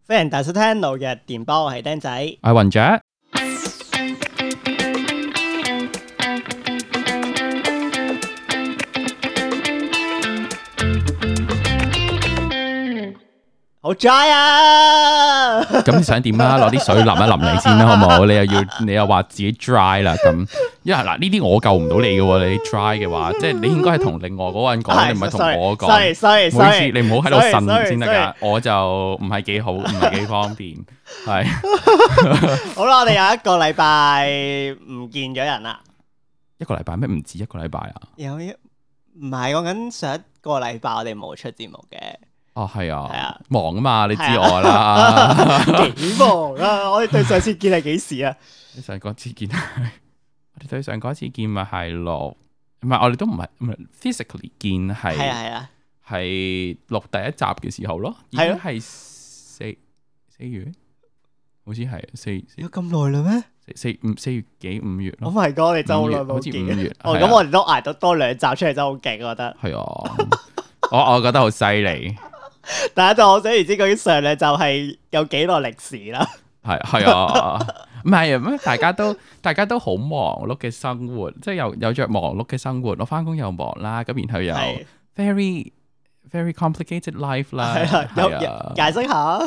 歡迎大家收聽老日電波，我係釘仔，我係雲雀。好 dry 啊！咁你想點啊？攞啲水淋一淋你先啦，好唔好？你又話自己 dry 啦，咁因為嗱呢啲我救唔到你嘅喎，你 dry 嘅話，即係你應該係同另外嗰個人講，你唔係同我講。sorry，每次你唔好喺度呻先得㗎，我就唔係幾好，唔係幾方便，係。好啦，我哋有一個禮拜唔見咗人啦。一個禮拜咩？唔止一個禮拜啊？唔係講緊上一個禮拜我哋冇出節目嘅。哦，係啊，係啊，忙啊嘛，你知我啦。幾忙啊！我哋對上次見係幾時啊？你上嗰次見係我哋對上嗰次見咪係錄，唔係我哋都唔係 physically 見係錄第一集嘅時候咯，已經係四月，好似係四有咁耐啦咩？四月幾5月咯。Oh my god！你真係好耐冇見，好似5月。哦，咁我哋都捱到多2集出嚟，真係好勁，我覺得。係啊，我覺得好犀利。大家就我想而知究竟上兩集係有幾耐歷史啦。係啊，唔係咩？大家都好忙碌嘅生活，即係有着忙碌嘅生活。我翻工又忙啦，咁然後又 very very complicated life 啦。係啊，解釋下。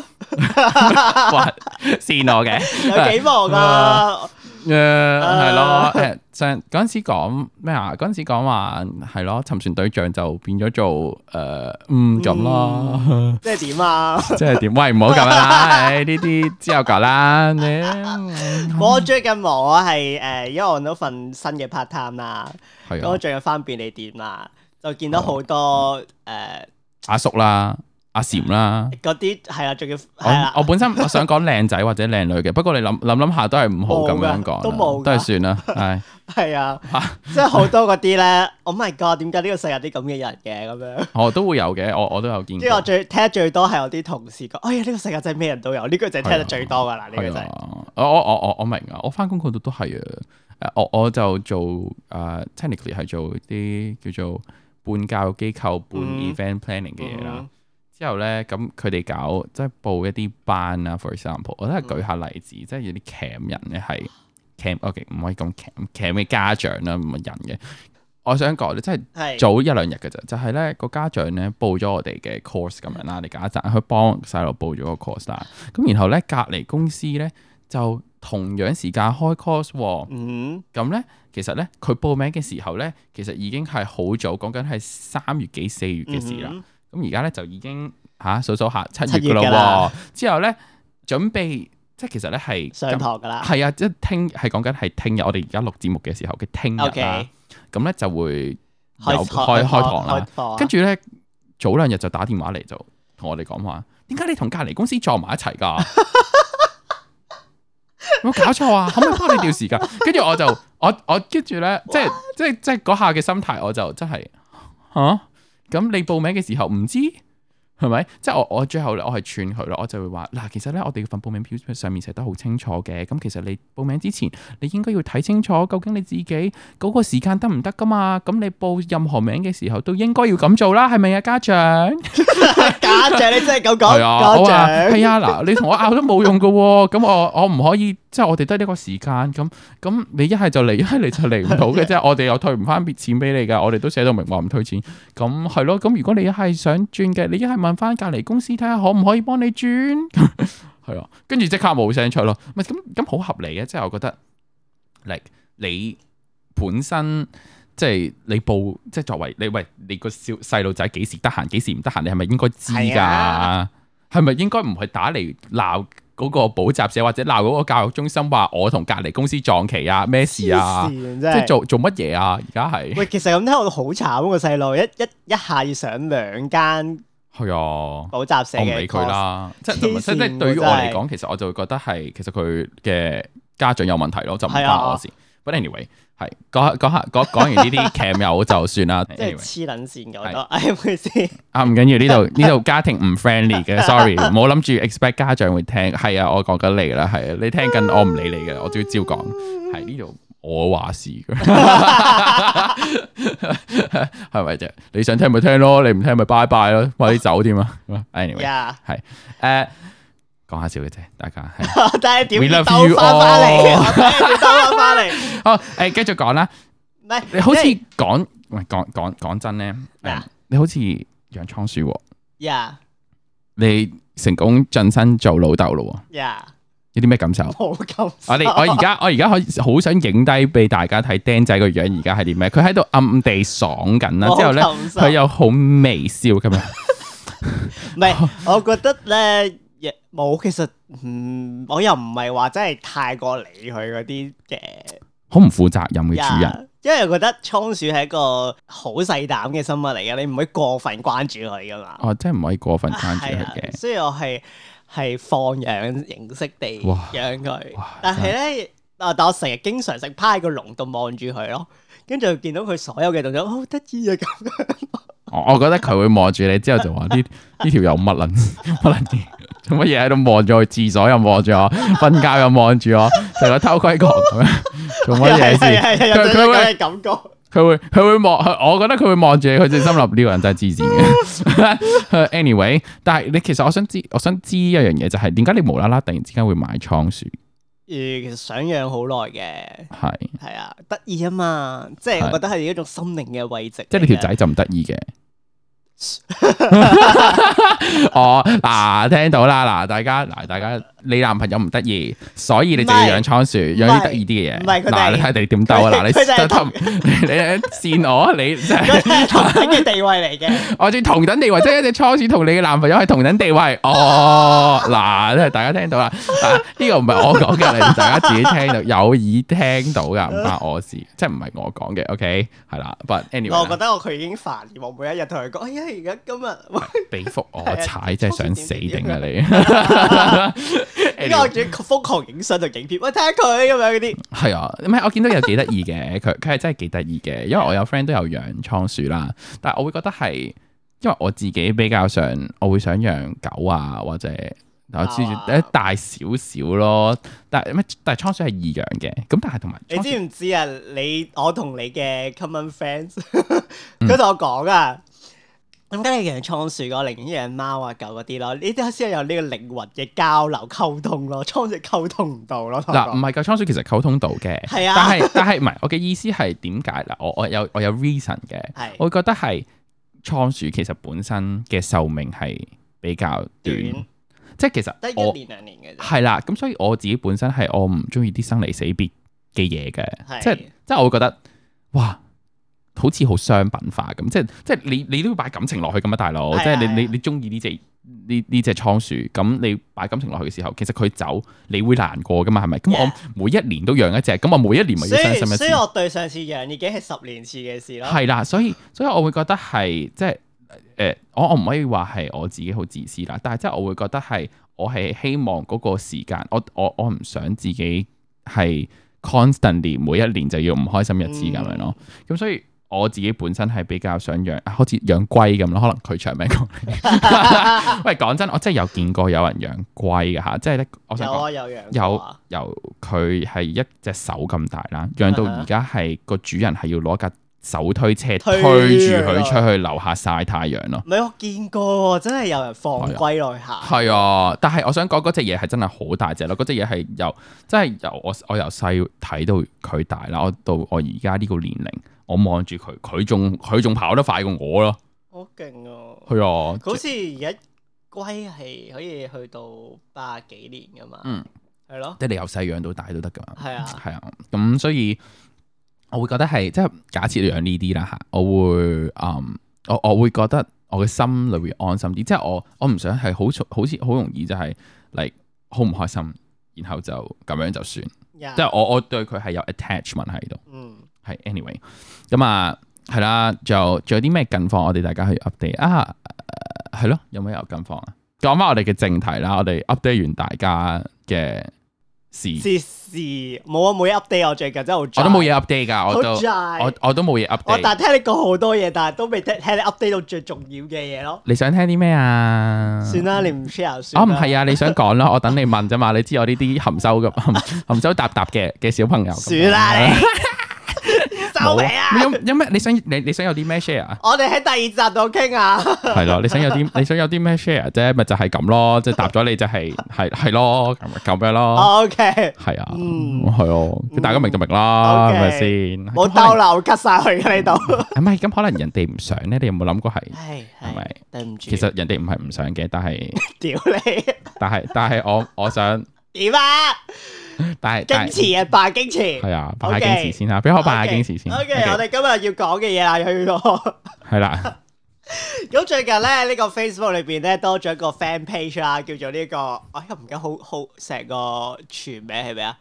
哇，線我嘅有幾忙啊？係咯，上嗰陣時講咩啊？嗰陣時講話係咯，沉船對象就變咗做咁咯。即係點啊？即係點？喂，唔好咁樣啦！呢啲之後講啦。我最近忙我係因為我揾到份新嘅 part time 啦，咁我最近翻便利店啦，就見到好多阿叔啦。阿禪啦，嗰啲係啦，仲要我本身我想講靚仔或者靚女嘅，不過你諗下都係唔好咁樣講，都冇，都係算啦，係啊，即係好多嗰啲咧 ，Oh my god， 點解呢個世界啲咁嘅人嘅咁樣？我都會有嘅，我都有見過。即係我聽得最多係我啲同事講，哎呀，呢個世界真係咩人都有，呢句就係聽得最多噶啦，呢句就係。我明啊，我翻工嗰度都係啊，我就做technically 係做啲叫做半教育機構半 event planning 嘅嘢啦。之後咧，咁佢哋搞即係報一啲班啊 for example， 我都係舉下例子，即係有啲 cam 人咧係 cam，OK 唔可以講 cam 嘅家長啦，唔係人嘅。我想講咧，即係早1-2日嘅啫，就係咧個家長咧報咗我哋嘅 course 咁樣啦，你假設佢幫細路報咗個 course 啦，咁然後咧隔離公司咧就同樣時間開 course 喎，咁咧其實咧佢報名嘅時候咧，其實已經係好早，講緊係3月幾4月嘅事啦。咁而家咧就已經數下7月噶啦，之後咧準備即係其實咧係上堂噶啦，係啊，即係講緊係聽日我哋而家錄節目嘅時候嘅聽日啦，咁咧就會開堂啦，跟住咧早2日就打電話嚟就同我哋講話，點解你同隔離公司撞埋一齊㗎？有冇搞錯啊？可唔可以幫你調時間？跟住我就我跟住咧，即係嗰下嘅心態，我就真係咁你報名嘅時候唔知係咪？即係我最後咧，我係串佢咯，我就會話嗱，其實咧我哋份報名表上面寫得好清楚嘅，咁其實你報名之前，你應該要睇清楚，究竟你自己嗰個時間得唔得噶嘛？咁你報任何名嘅時候都應該要咁做啦，係咪啊，家長？家長你真係咁講？係啊，我話係啊，嗱，你同我拗都冇用噶，咁我唔可以，即係我哋得呢個時間，咁你一係就嚟，一係你就嚟唔到嘅啫，我哋又退唔翻錢俾你噶，我哋都寫到明話唔退錢，咁係咯，咁如果你一係想轉嘅，你一係問翻隔離公司睇下可唔可以幫你轉，係啊，跟住即刻冇聲出咯，咪咁好合理嘅，即係我覺得，你本身。即係你報，即係作為你個細路仔幾時得閒，幾時唔得閒，你係咪應該知㗎？係咪應該唔去打嚟鬧嗰個補習社或者鬧嗰個教育中心話我同隔離公司撞期啊？咩事啊？即係做乜嘢啊？而家係喂，其實咁聽我好慘個細路，一下要上2間係啊補習社嘅，我唔理佢啦。即係對於我嚟講，其實我就會覺得係其實佢嘅家長有問題咯，就唔關我事。But anyway。係講完呢啲 cam 友就算啦，即係黐撚線嘅我都，係咪先？唔緊要，呢度家庭唔 friendly 嘅，sorry，唔好諗住 expect 家長會聽。係啊，我講緊你啦，係啊，你聽緊我唔理你嘅，我都要照講。係呢度我話事嘅，係咪啫？你想聽咪聽咯，你唔聽咪拜拜咯，快啲走添啊！Anyway，係講下笑嘅啫，大家。但係點 We love 兜 you 翻翻嚟？ all 我睇下點兜翻翻嚟。好，繼續講啦。唔係你好似即係講真咧，啊你好似養倉鼠喎，呀你成功晉身做老豆咯喎，呀，有啲咩感受？冇咁。我而家好想影低俾大家睇釘仔個樣，而家係啲咩？佢喺度暗地爽緊啦，之後咧佢又好微笑咁樣。唔係，我覺得咧，冇其實，我又唔係話真係太過理佢嗰啲嘅，好唔負責任嘅主人。因為我覺得倉鼠係一個好細膽嘅生物嚟嘅，你唔可以過分關注佢噶嘛。哦，即係唔可以過分關注佢嘅。所以我係放養形式地養佢，但係咧，但我成日經常性趴喺個籠度望住佢咯，跟住見到佢所有嘅動作，好得意啊咁樣。我覺得佢會望住你之後就話呢條友乜撚嘢，做乜嘢喺度望住我？廁所又望住我，瞓覺又望住我，成個偷窺狂咁樣，做乜嘢先？佢會感覺，佢會望，我覺得佢會望住你，佢就心諗呢個人真係黐線嘅。Anyway， 但係你其實我想知一樣嘢就係點解你無啦啦突然之間會買倉鼠？其實想養好耐嘅，係啊，得意啊嘛，即係我覺得係一種心靈嘅慰藉。即係你條仔就唔得意嘅。哦，嗱，聽到啦，嗱，大家，你男朋友唔得意，所以你就要養倉鼠，養啲得意啲嘅嘢。唔係佢哋，嗱，你睇你點鬥啊？嗱，你扇我，你真係同等嘅地位嚟嘅。我仲同等地位，即係一隻倉鼠同你嘅男朋友係同等地位。哦，嗱，大家聽到啦，呢個唔係我講嘅，你大家自己聽到，有耳聽到噶，唔關我事，即係唔係我講嘅。OK， 係啦 ，but anyway， 我覺得佢已經煩厭，我每一日同佢講，哎呀，而家今日俾幅我踩，真係想死定啊你！依家我仲瘋狂影相同影片，喂，睇下佢咁樣嗰啲。係啊，唔係我見到有幾得意嘅，佢係真係幾得意嘅，因為我有 friend 都有養倉鼠啦，但係我會覺得係，因為我自己比較上，我會想養狗啊，或者我知住大少少咯，但係倉鼠係易養嘅，咁但係同埋你知唔知啊？我同你嘅 common friends，佢同我講啊。點解你養倉鼠嘅？我寧願養貓啊、狗嗰啲咯，呢啲先係有呢個靈魂嘅交流溝通咯。倉鼠溝通唔到咯。嗱，唔係個倉鼠其實溝通到嘅，係啊。但係唔係我嘅意思係點解嗱？我有 reason 嘅，我會覺得係倉鼠其實本身嘅壽命係比較短，即係其實得1年2年嘅啫。係啦，咁所以我自己本身係我唔中意啲生離死別嘅嘢嘅，即係我會覺得哇。好似好商品化咁，即係你都要擺感情落去咁啊，大佬！即係你中意呢隻倉鼠，咁你擺感情落去嘅時候，其實佢走你會難過噶嘛，係咪？咁我每一年都養一隻，咁我每一年咪要傷心一次。所以我對上次養已經係10年前嘅事咯。係啦，所以我會覺得係即係我唔可以話係我自己好自私啦，但係即係我會覺得係我係希望嗰個時間，我唔想自己係 constantly 每一年就要唔開心一次咁樣咯，咁所以。我自己本身係比較想養，好似養龜咁咯，可能佢長命過你。喂，講真，我真係有見過有人養龜嘅嚇，即係咧，我想講有養由佢係一隻手咁大啦，養到而家係個主人係要攞架手推車推住佢出去樓下曬太陽咯。唔係我見過，真係有人放龜落去行。係啊，但係我想講嗰隻嘢係真係好大隻咯，嗰隻嘢係真係由我由細睇到佢大啦，我到我而家呢個年齡。我望住佢，佢仲跑得快過我咯，好勁啊！係啊，好似而家龜係可以去到80幾年噶嘛，係咯，即係你由細養到大都得噶嘛，係啊，咁所以我會覺得係即係假設你養呢啲啦嚇，我會我會覺得我嘅心裏會安心啲，即係我唔想係好似好容易就係嚟好唔開心，然後就咁樣就算，即係我對佢係有 attachment 喺度，係 anyway， 咁啊係啦，仲有啲咩近況我哋大家去 update 啊？係咯，有冇近況啊？講翻我哋嘅正題啦，我哋 update 完大家嘅事冇啊，冇嘢 update，我最近真係好，我都冇嘢 update 噶，我都冇嘢 update。但係聽你講好多嘢，但係都未聽你 update 到最重要嘅嘢咯。你想聽啲咩啊？算啦，你唔 share 算。唔係啊，你想講啦，我等你問啫嘛。你知我呢啲含羞答答嘅小朋友。算啦你。收尾啊！有咩？你想有啲咩 share 啊？我哋喺第二集度傾啊。係咯，你想有啲咩 share 啫？咪就係咁咯，即係答咗你就係咯，咁樣咯。OK，係啊，係哦，大家明就明啦，係咪先？冇兜漏 cut 晒去嘅呢度。唔係咁，可能人哋唔想咧，你有冇諗過係？係咪？對唔住。其實人哋唔係唔想嘅，但係屌你！但係我想點啊？但係矜持啊，扮矜持。係啊，扮下矜持先啦，俾我扮下矜持先。OK，我哋今日要講嘅嘢啦，去到係啦。咁最近咧，呢個 Facebook 裏邊咧多咗一個 fan page 啦，叫做呢個，我又唔記得好成個全名係咩啊？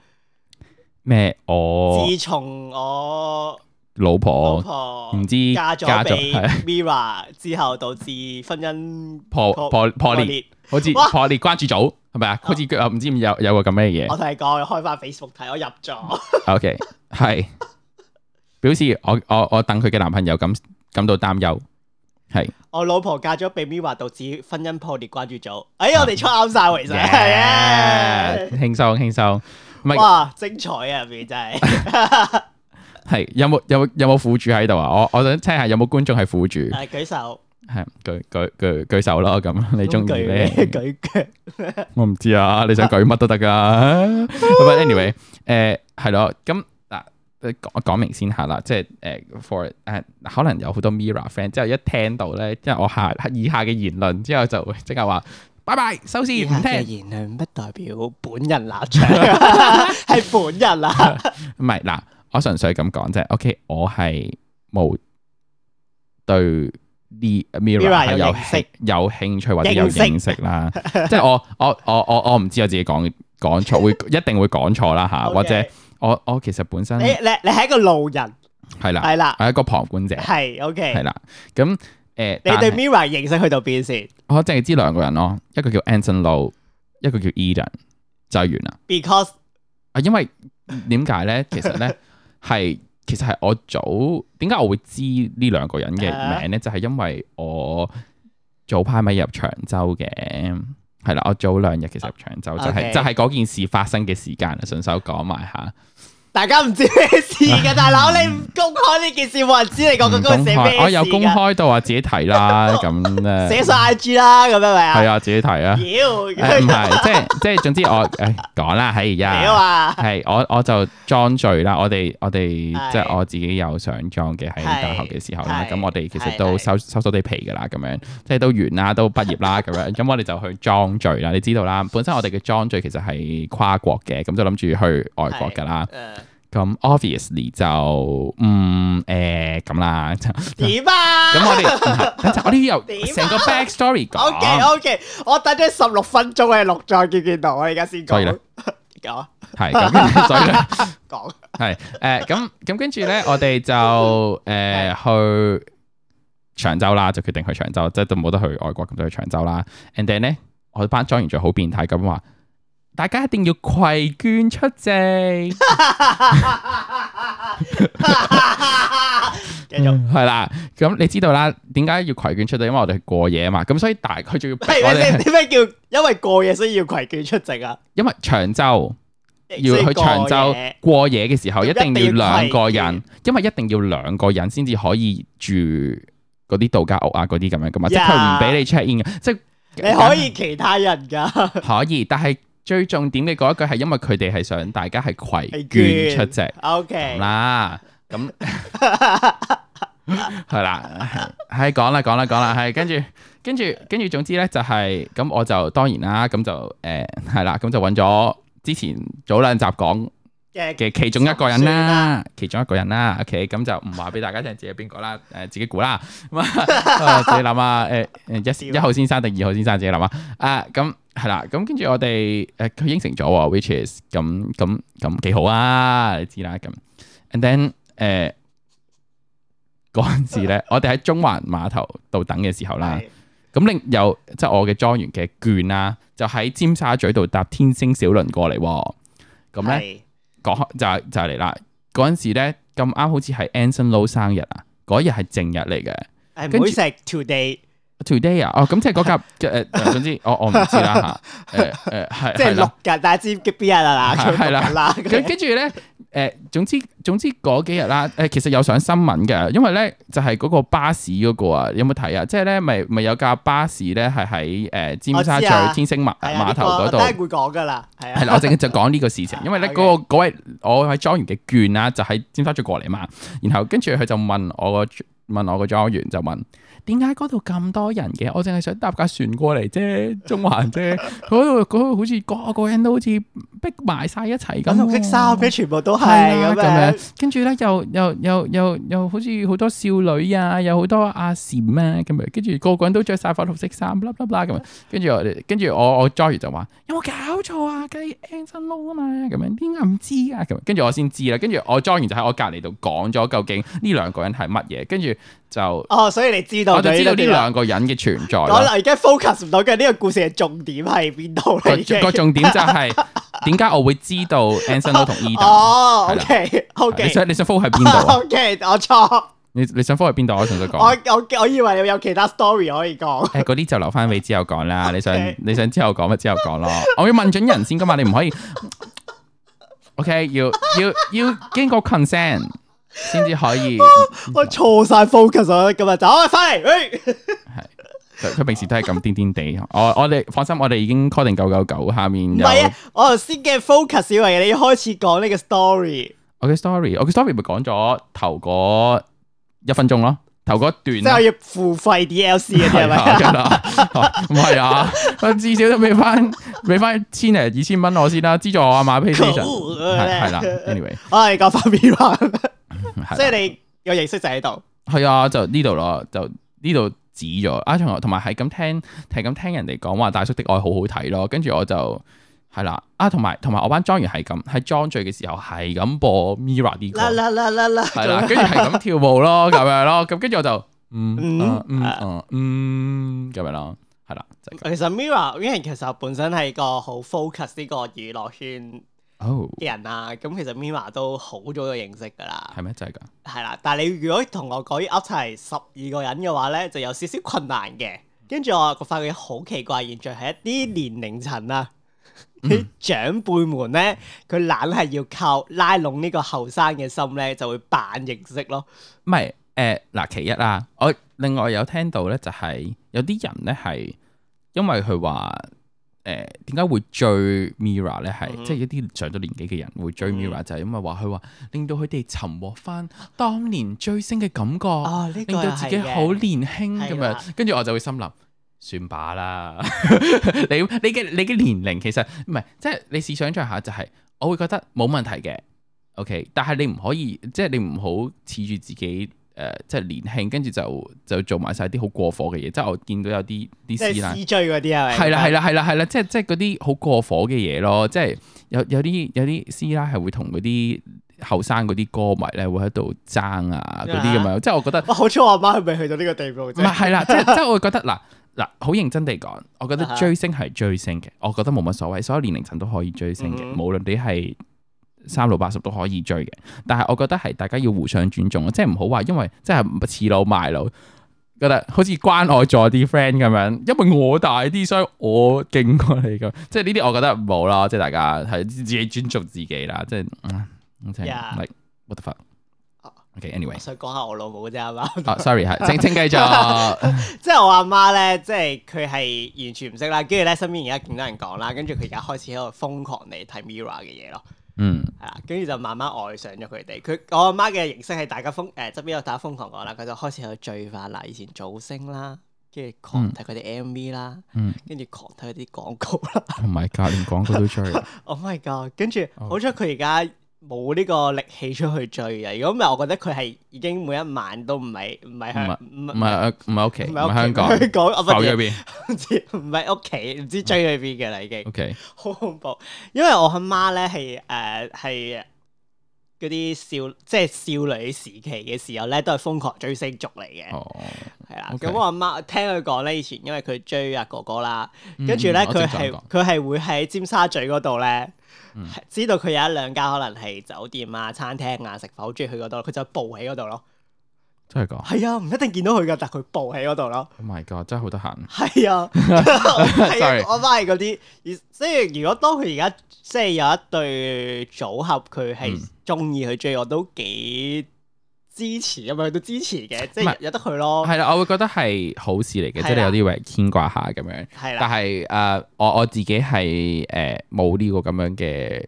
咩？我自從我老婆唔知嫁咗俾 Mirror 之後，導致婚姻破裂，好似破裂關注組係咪啊？好似唔知有個咁嘅嘢。我同你講，開翻 Facebook 睇，我入咗。OK， 係表示我等佢嘅男朋友感到擔憂。係我老婆嫁咗俾 Mirror，導致婚姻破裂關注組。我哋出啱晒，其實係啊，輕鬆。哇，精彩啊！入面真係。係有冇苦主喺度啊？我想聽下有冇觀眾係苦主。舉手。係舉手咯，咁你中意咧？舉腳。我唔知啊，你想舉乜都得噶。But anyway，係咯，咁嗱，講明先下啦，即係for 可能有好多 Mirror friend，之後一聽到咧，即係我以下嘅言論之後就會即刻話拜拜收線唔聽。言論不代表本人立場，係本人啊。唔係嗱，我純粹咁講啫。OK， 我係冇對啲 Mirror 係有興趣或者有認識啦。即係我唔知我自己講錯，一定會講錯啦嚇，或者我其實本身你係一個路人，係啦，係一個旁觀者，係 OK，係啦。咁你對 Mirror 認識去到邊先？我淨係知兩個人咯，一個叫 Anson Lo， 一個叫 Eden， 就係完啦。Because 因為點解咧？其實係我點解我會知呢兩個人嘅名咧？就係因為我早排咪入長洲嘅，係啦，我早2日其實入長洲，就係嗰件事發生嘅時間，順手講埋下。大家唔知咩事嘅，大佬，你唔公開呢件事，冇人知你講嗰個寫咩事。我有公開到話自己睇啦，咁咧寫晒 IG 啦，咁樣咪啊？係啊，自己睇啊。唔係，即係總之我講啦，喺而家係我就裝序啦。我哋即係我自己有上裝嘅喺大學嘅時候啦。咁我哋其實都收地皮噶啦，咁樣即係都完啦，都畢業啦，咁樣。咁我哋就去裝序啦。你知道啦，本身我哋嘅裝序其實係跨國嘅，咁就諗住去外國噶啦。咁 obviously 就咁啦，點啊？咁我哋有成個 backstory 講。OK， 我等咗16分鐘嘅錄再見到，我而家先講。所以咧，講係咁，所以咧講係咁跟住咧，我哋就去長洲啦，就決定去長洲，即係都冇得去外國，咁就去長洲啦。And then 咧，我哋班莊員就好變態咁話。大家一定要攜眷出席，繼續係啦。咁你知道啦，點解要攜眷出席？因為我哋過夜啊嘛。咁所以佢仲要逼我哋。點解叫因為過夜所以要攜眷出席啊？因為長洲要去長洲過夜嘅時候，一定要2個人，因為一定要2個人先至可以住嗰啲度假屋啊，嗰啲咁樣噶嘛。即係佢唔俾你 check in 嘅，即係你可以其他人噶，可以，但係。最重點嘅嗰一句係因為佢哋係想大家係攜眷出席 ，OK 啦，咁係啦，係講啦，係跟住總之咧就係咁，我就當然啦，咁就係啦，咁就揾咗之前早2集講嘅其中一個人啦，OK， 咁就唔話俾大家聽自己係邊個啦，自己估啦，咁自己諗啊，1號先生定2號先生自己諗啊，咁。係啦，咁跟住我哋佢應承咗，which is 咁幾好啊，你知啦，咁 and then 嗰陣時咧，我哋喺中環碼頭度等嘅時候啦，咁有即係我嘅莊園嘅眷啦，就喺尖沙咀度搭天星小輪過嚟，咁咧講就嚟啦，嗰陣時咧咁啱好似係 Anson Lo 生日啊，嗰日係正日嚟嘅，唔會食 today 啊，咁即係嗰架總之我唔知啦嚇，係即係6日，大家知邊日啦，係啦，跟住咧總之嗰幾日啦，其實有上新聞嘅，因為咧就係嗰個巴士嗰個啊，有冇睇啊？即係咧咪有架巴士咧係喺尖沙咀天星碼頭嗰度，我會講噶啦，係啊，係啦，我淨係就講呢個事情，因為咧嗰位我喺莊園嘅券啦，就喺尖沙咀過嚟嘛，然後跟住佢就問我個莊園就問。點解嗰度咁多人嘅？我淨係想搭架船過嚟啫，中環啫。嗰度好似個人都好似逼埋晒一齊咁。紅色衫嘅全部都係咁樣。跟住咧又好似好多少女啊，有好多阿嬋啊咁樣。跟住個人都着晒粉紅色衫，啦啦咁樣。跟住我 Joy 就話：有冇搞錯啊？計 Anson Lo 啊嘛，咁樣點解唔知啊？咁跟住我先知啦。跟住我 Joy 就喺我隔離度講咗究竟呢兩個人係乜嘢。跟住就所以你知道。我就知道呢兩個人嘅存在。我而家 focus 唔到嘅呢個故事嘅重點係邊度嚟？個重點就係點解我會知道 Anson Lo 同 Eden。OK。你想 focus 喺邊度啊？OK， 我錯。你想 focus 喺邊度？我想講。我以為你有其他 story 可以講。嗰啲就留翻俾之後講啦。你想之後講咪之後講咯。我要問準人先噶嘛，你唔可以。OK， 要經過 consent。先至可以，我錯晒 focus 啊！今日走翻嚟，係佢平時都係咁癲癲地。我哋放心，我哋已經 call 定999，下面有。唔係啊，我頭先嘅 focus 以為你開始講呢個 story。我嘅 story 咪講咗頭嗰1分鐘咯，頭嗰段。即係要付費 DLC 嗰啲係咪？唔係啊，至少都俾翻1000零2000蚊我先啦，資助我阿媽 PlayStation。係啦 ，anyway， 我哋講翻 Mirror。即係你有認識就喺度，係啊，就呢度咯，就呢度指咗啊，同埋係咁聽人哋講話大叔的愛好好睇咯，跟住我就係啦啊，同埋我班莊員係咁喺莊聚嘅時候係咁播 Mirror 啲歌，係啦，跟住係咁跳舞咯，咁樣咯，咁跟住我就咁樣咯，係啦，就係，其實 Mirror 因為其實本身係個好 focus 呢個娛樂圈嘅人啊，咁其實 Mirror 都好早就認識噶啦。係咩？真係噶？係啦，但係你如果同我講要 up 齊12個人嘅話咧，就有少少困難嘅。跟住我發覺好奇怪現象係一啲年齡層啊，啲長輩們咧，佢懶係要靠拉攏呢個後生嘅心咧，就會扮認識咯。唔係嗱，其一啊，我另外有聽到咧，就係有啲人咧係因為佢話。點解會追 Mirror 咧？係即係一啲上咗年紀嘅人會追 Mirror，就係因為話佢話令到佢哋尋獲翻當年追星嘅感覺，令到自己好年輕咁樣。跟住我就會心諗，算罷啦。你嘅年齡其實唔係，即係你試想像下，就係我會覺得冇問題嘅。OK，但係你唔可以，即係你唔好恃住自己。即係年輕，跟住就做埋晒啲好過火嘅嘢，即係我見到有啲師奶，即係追嗰啲係咪？係啦，即係嗰啲好過火嘅嘢咯，即係有啲師奶係會同嗰啲後生嗰啲歌迷咧會喺度爭啊嗰啲咁樣，即係我覺得，好彩我阿媽係未去到呢個地步啫。唔係啦，即係我會覺得嗱，好認真地講，我覺得追星係追星嘅，我覺得冇乜所謂，所有年齡層都可以追星嘅，無論你係。3680都可以追嘅，但係我覺得係大家要互相尊重，即係唔好話因為即係恃老賣老，覺得好似關愛咗啲 friend 咁樣，因為我大啲，所以我勁過你咁，即係呢啲我覺得唔好啦，即係大家係自己尊重自己啦，即係like what the fuck。OK，anyway， 想講下我老母啫，係嘛？Sorry， 係請繼續。即係我阿媽咧，即係佢係完全唔識啦，跟住咧身邊而家見到人講啦，跟住佢而家開始喺度瘋狂嚟睇 Mirror 嘅嘢咯。係啦，跟住就慢慢愛上咗佢哋。我阿媽嘅形式係大家側邊有大家瘋狂講啦，佢就開始去追翻啦，以前造星啦，跟住狂睇佢哋 MV 啦，跟住狂睇佢啲廣告啦。Oh my god，連廣告都追。Oh my god，跟住好彩佢而家冇呢個力氣出去追啊！如果唔係，我覺得佢係已經每一晚都唔係屋企，唔係香港，浮咗邊？唔係屋企，唔知追去邊嘅啦已經。OK，好恐怖，因為我阿媽咧係嗰啲即係少女時期嘅時候咧，都係瘋狂追星族嚟嘅。係啦，咁我阿媽聽佢講咧，以前因為佢追阿哥哥啦，跟住咧佢係會喺尖沙咀嗰度咧。知道佢有1-2間可能係酒店啊、餐廳啊、食飯好中意去嗰度，佢就報喺嗰度咯。真係㗎係啊，唔一定見到佢㗎，但佢報喺嗰度咯。 ！Oh my god，真係好得閒。係啊，係啊，我翻係嗰啲，即係如果當佢而家即係有一對組合，佢係中意佢追，我都幾支持咁樣，都支持嘅，即係有得佢咯。係啦，我會覺得係好事嚟嘅，即係你有啲位牽掛下咁樣。係啦，但係我自己係冇呢個咁樣嘅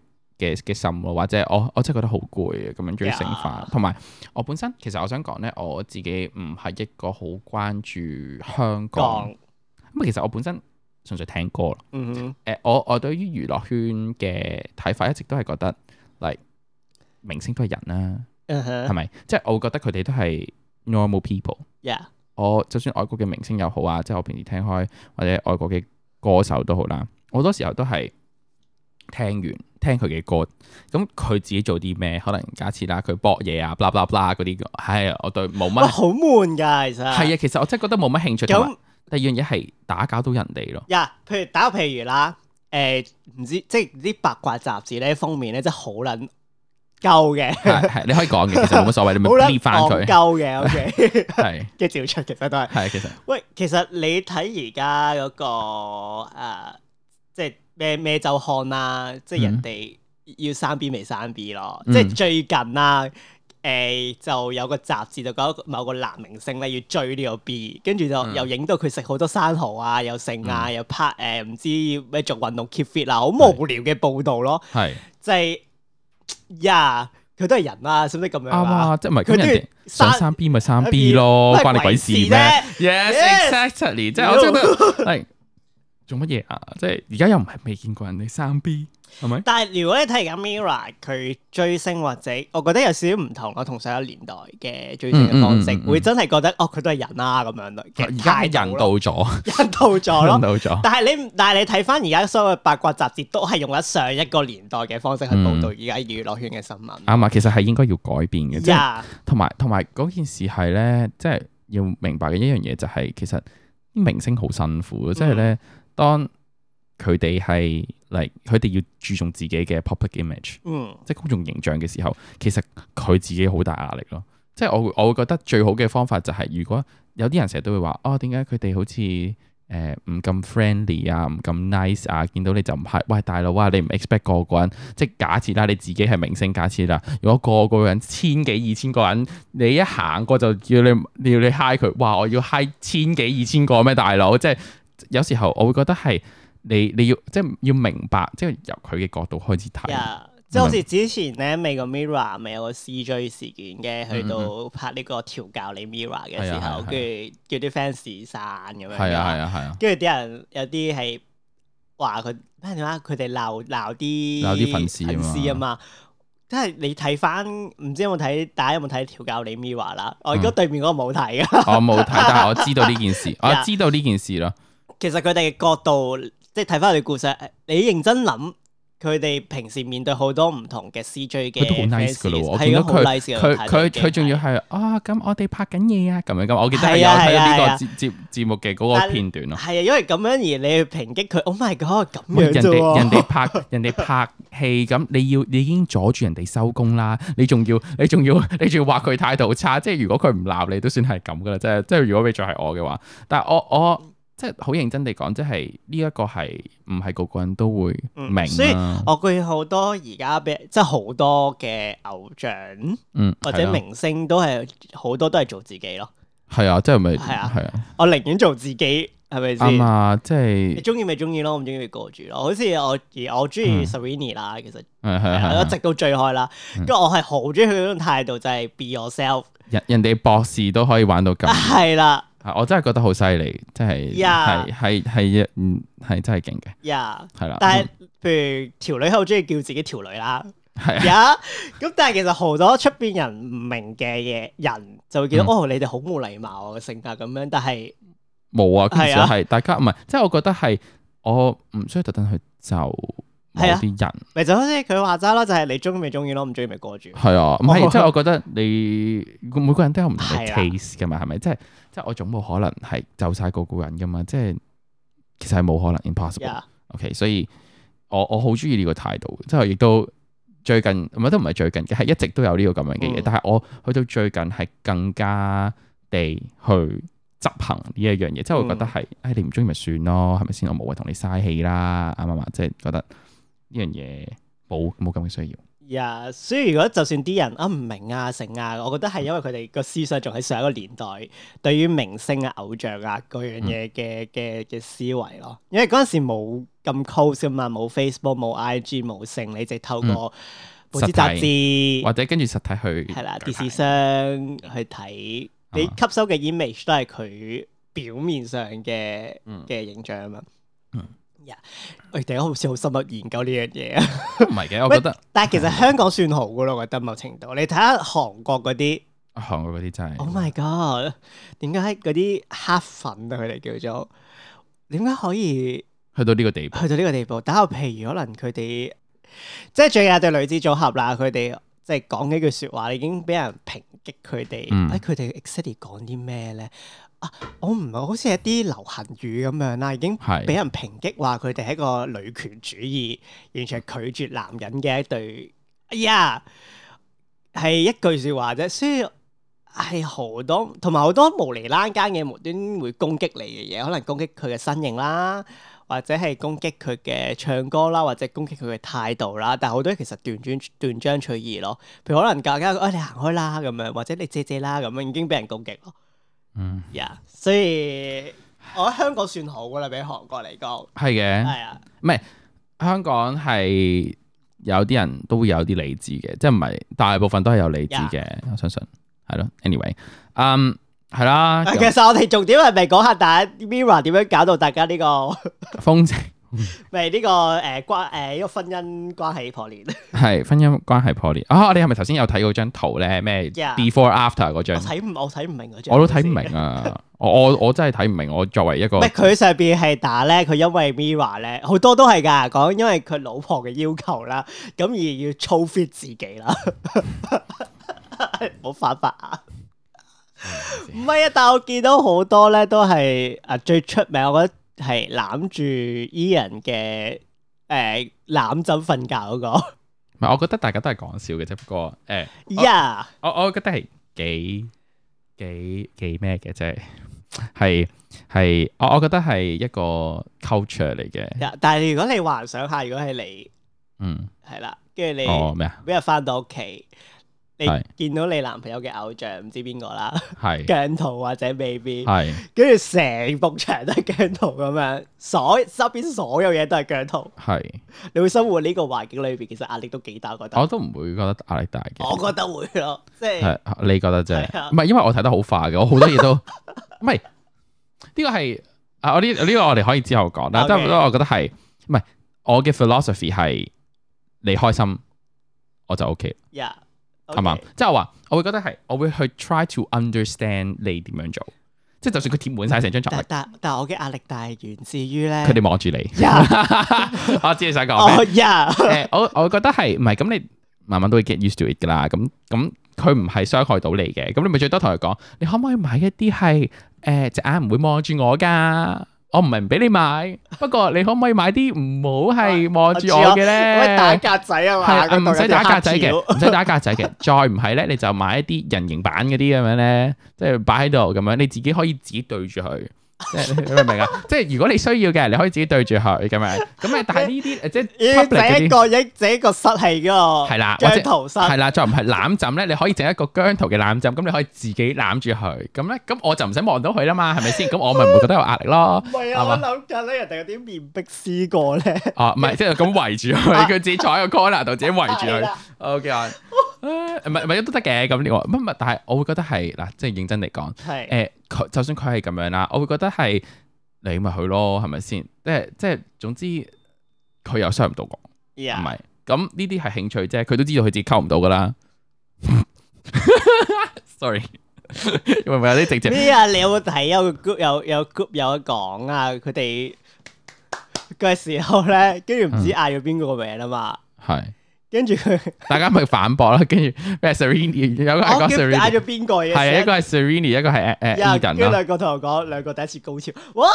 心咯，或者我真係覺得好攰啊，咁樣追星化。同埋我本身其實我想講咧，我自己唔係一個好關注香港。咁其實我本身純粹聽歌咯。我對於娛樂圈嘅睇法一直都係覺得，明星都係人啦。係咪？即係我會覺得佢哋都係 normal people。我就算外國嘅明星又好啊，即係我平時聽開或者外國嘅歌手都好啦，好多時候都係聽佢嘅歌，咁佢自己做啲咩？可能假設啦，佢搏嘢啊，blah blah blah 嗰啲，係我對冇乜。好悶㗎，其實係啊，其實我真係覺得冇乜興趣。咁第二樣嘢係打攪到人哋咯。譬如打個譬如啦，唔知即係啲八卦雜誌咧封面咧，真係好撚鳩嘅，係你可以講嘅，其實冇乜所謂，你咪 leave 翻佢。鳩嘅，OK，係嘅照出，其實都係。係其實。喂，其實你睇而家嗰個即係咩週刊啦，即係人哋要生 B 未生 B 咯，即係最近啦，就有個雜誌就講某個男明星咧要追呢個 B， 跟住就又影到佢食好多生蠔啊，又剩啊，又拍唔知咩做運動 keep fit 啊，好無聊嘅報導咯，係即係。佢都係人啊，使唔使咁樣啊？即係唔係咁人哋想生 B 咪生 B 咯，關你鬼事咩 ？Yes exactly， 即係我覺得係做乜嘢啊？即係而家又唔係未見過人哋生 B。係咪？但係如果你睇而家 Mirror 佢追星或者，我覺得有少少唔同咯，同上一年代嘅追星嘅方式，會真係覺得佢都係人啦咁樣咯。而家係人到咗，人到咗咯，人到咗。但係你睇翻而家所有嘅八卦雜誌，都係用咗上一個年代嘅方式去報導而家娛樂圈嘅新聞。啱啊，其實係應該要改變嘅，即係同埋嗰件事係咧，即係要明白嘅一樣嘢就係，其實啲明星好辛苦，即係咧當。佢哋係佢哋要注重自己嘅 public image，即係公眾形象嘅時候，其實佢自己好大壓力咯。即係我會覺得最好嘅方法就係，如果有啲人成日都會話，點解佢哋好似唔咁 friendly 啊，唔咁 nice 啊，見到你就唔係，喂大佬啊，你唔 expect 個個人，即係假設啦，你自己係明星，假設啦，如果個個人千幾2000個人，你一行過就叫你 hi 佢，哇我要 hi 千幾2000個咩大佬？即係有時候我會覺得係。你要即係要明白，即係由佢嘅角度開始睇。即係好似之前咧，美國 Mirror 咪有個 CJ 事件嘅，去到拍呢個調教你 Mirror 嘅時候，跟住叫啲 fans 散咁樣。係啊。跟住啲人有啲係話佢咩點啊？佢哋鬧啲粉絲啊嘛。即係你睇翻，唔知大家有冇睇調教你 Mirror 啦？我而家對面嗰個冇睇㗎。我冇睇，但係我知道呢件事，我知道呢件事咯。其實佢哋嘅角度。即係睇翻佢哋故事，你認真諗，佢哋平時面對好多唔同嘅 CJ 嘅，佢都好 nice 噶咯。我見到佢仲要係咁我哋拍緊嘢啊，咁樣咁。我記得係有睇到呢個節目嘅嗰個片段咯。係啊，因為咁樣而你去抨擊佢，Oh my God，咁樣啫。人哋拍戲咁，你已經阻住人哋收工啦，你仲要話佢態度差，即係如果佢唔鬧你，都算係咁噶啦。即係如果俾咗係我嘅話，但係我。即係好認真地講，即係呢一個係唔係個個人都會明。所以我見好多而家即係好多嘅偶像，或者明星都係好多都係做自己咯。係啊，即係咪？係啊。我寧願做自己，係咪先？啱啊，即係你中意咪中意咯，唔中意咪過住咯。好似我中意 Serrini 啦，其實係一直都追開啦。跟住我係好中意佢嗰種態度，就係 be yourself。人哋博士都可以玩到咁。係啦。我真係覺得好犀利，真係係真係勁嘅。係啦。但係譬如條女好中意叫自己條女啦，係啊。咁但係其實好多出邊人唔明嘅人就會見到你哋好冇禮貌嘅性格咁樣，但係冇啊。其實係大家唔係，即係我覺得係我唔需要特登去就某啲人。咪就好似佢話齋咯，就係你中意咪中意咯，唔中意咪過住。係啊，唔係即係我覺得你每個人都有唔同嘅 taste 噶嘛，係咪？即係我總冇可能係就晒個人噶嘛，即係其實係冇可能 impossible。OK， 所以我好中意呢個態度，即係亦都最近唔係都唔係最近嘅，係一直都有呢個咁樣嘅嘢。但係我去到最近係更加地去執行呢一樣嘢，即係我覺得係，你唔中意咪算咯，係咪先？我冇謂同你嘥氣啦，啱唔啱？即係覺得呢樣嘢冇咁嘅需要。所以如果就算啲人唔明啊成啊，我覺得係因為佢哋個思想仲喺上一個年代，對於明星啊、偶像啊嗰樣嘢嘅思維咯。因為嗰陣時冇咁 close 噶嘛，冇 Facebook、冇 IG、冇性，你直透過報紙雜誌或者跟住實體去係啦，電視商去睇，你吸收嘅 image 都係佢表面上嘅形象啊嘛。我哋好似好深入研究呢樣嘢啊，唔係嘅，我覺得。但係其實香港算好噶咯，我覺得某程度。你睇下韓國嗰啲，韓國嗰啲真係。Oh my god！點解嗰啲黑粉啊，佢哋叫做點解可以去到呢個地步？去到呢個地步，打個譬如可能佢哋即係最近有對女子組合啦，佢哋即係講幾句説話，已經俾人抨擊佢哋。佢哋 exactly 講啲咩咧？我唔係好似一啲流行語咁樣啦，已經俾人抨擊話佢哋係一個女權主義，完全係拒絕男人嘅一對。係一句説話啫，所以係好多同埋好多無厘啦間嘅無端會攻擊你嘅嘢，可能攻擊佢嘅身形啦，或者係攻擊佢嘅唱歌啦，或者攻擊佢嘅態度啦。但係好多其實斷章取義咯，譬如可能大家你行開啦咁樣，或者你借啦咁樣，已經俾人攻擊咯。所以我覺得香港算好噶啦，比韓國嚟講。係嘅，係啊，唔係香港係有啲人都會有啲理智嘅，即係唔係大部分都係有理智嘅，我相信係咯。Anyway，係啦。其實我哋重點係咪講下大家 Mirror 點樣搞到大家呢個風情？咪呢個呢個婚姻關係破裂，係婚姻關係破裂啊！我哋係咪頭先有睇嗰張圖咧？咩 before after 嗰張？我睇唔明嗰張，我都睇唔明啊！我真係睇唔明。我作為一個佢上邊係打咧，佢因為 Mirror 咧好多都係㗎，講因為佢老婆嘅要求啦，咁而要操 fit 自己啦，冇犯法啊！唔係啊，但係我見到好多咧都係最出名，我覺得。係攬住 Ian 嘅攬枕瞓覺嗰個，唔係，我覺得大家都係講笑嘅啫。不過我覺得係幾咩嘅，即係我覺得係一個 culture 嚟嘅。但係如果你幻想下，如果係你，係啦，跟住你咩啊？每日翻到屋企。你見到你男朋友嘅偶像唔知邊個啦，姜濤或者 Baby，跟住成幅牆都係姜濤咁樣，周邊所有嘢都係姜濤，你會生活呢個環境裏邊，其實壓力都幾大，覺得我都唔會覺得壓力大嘅，我覺得會咯，即係你覺得啫，唔係因為我睇得好快嘅，我好多嘢都唔係呢個係我呢個我哋可以之後講，但係我覺得係唔係我嘅 philosophy 係你開心我就 OK。係嘛？即係我話，我會覺得係，我會去 try to understand 你點樣做。即係就算佢貼滿晒成張床，但係我嘅壓力大係源自於咧，佢哋望住你。我知你想講咩？我會覺得係唔係咁？你慢慢都會 get used to it 噶啦。咁佢唔係傷害到你嘅。咁你咪最多同佢講，你可唔可以買一啲係隻眼唔會望住我噶？我唔係唔俾你買，不過你可唔可以買啲唔好係望住我嘅咧？打格仔啊嘛，唔使打格仔嘅，唔使打格仔嘅。再唔係咧，你就買一啲人形版嗰啲咁樣咧，即係擺喺度咁樣，你自己可以自己對住佢。你明唔明啊？即係如果你需要嘅，你可以自己對住佢咁樣。咁但係呢啲即係整一個室係嗰個姜濤室，係啦，再唔係攬枕咧，你可以整一個姜濤嘅攬枕，咁你可以自己攬住佢。咁咧，咁我就唔使望到佢啦嘛，係咪先？咁我咪唔會覺得有壓力咯。唔係啊，我諗緊咧，人哋有啲面壁思過咧。唔係，即係咁圍住佢，佢自己坐喺個 corner 度，自己圍住佢。OK 啊，唔係都得嘅。咁呢個乜？但係我會覺得係嗱，即係認真嚟講，就算佢係咁樣啦，我會覺得係你咪去咯，係咪先？即係總之佢又傷唔到我，唔係咁呢啲係興趣啫。佢都知道佢自己溝唔到噶啦。Sorry， 因為有啲直接咩啊？你有冇睇有個 group 有 group 有得講啊？佢哋嘅時候咧，跟住唔知嗌咗邊個名啊嘛？係。跟住佢，大家咪反駁啦。跟住咩 Serrini 有個係講 Serrini， 嗌咗邊個嘢？係一個係 Serrini， 一個係Eden 跟住兩個同我講，兩個第一次高潮。What？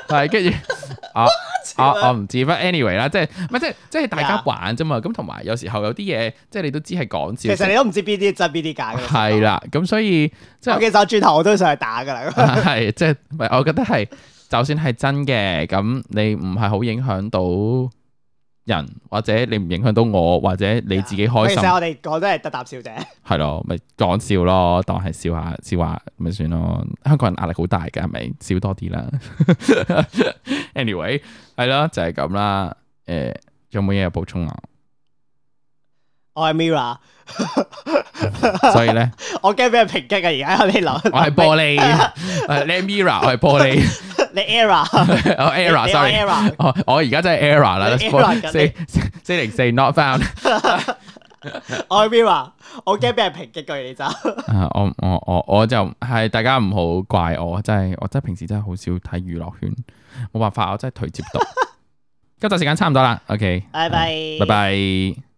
係跟住我唔知，but anyway 啦，即係大家玩啫嘛。咁同埋有時候有啲嘢，即係你都知係講笑。其實你都唔知邊啲真邊啲假嘅。係啦，咁所以即係其實我轉頭我都想去打㗎啦。係即係，我覺得係，就算係真嘅，咁你唔係好影響到人，或者你唔影響到我，或者你自己開心。其實我哋講都係得啖笑啫。係咯，咪講笑咯，當係笑下咪算咯。香港人壓力好大㗎，係咪？笑多啲啦。Anyway， 係咯，就係咁啦。有冇嘢補充啊？我係 Mirror，所以咧，我驚俾人抨擊啊！而家你諗，我係玻璃，你係 Mirror，我係玻璃。你 Error，我 Error，sorry，我而家真係 Error 啦。404 not found。我係 Mirror，我驚俾人抨擊佢你就。我就係大家唔好怪我，我真係平時真係好少睇娛樂圈，冇辦法，我真係頹接到。今集時間差唔多啦，OK，拜拜，拜拜。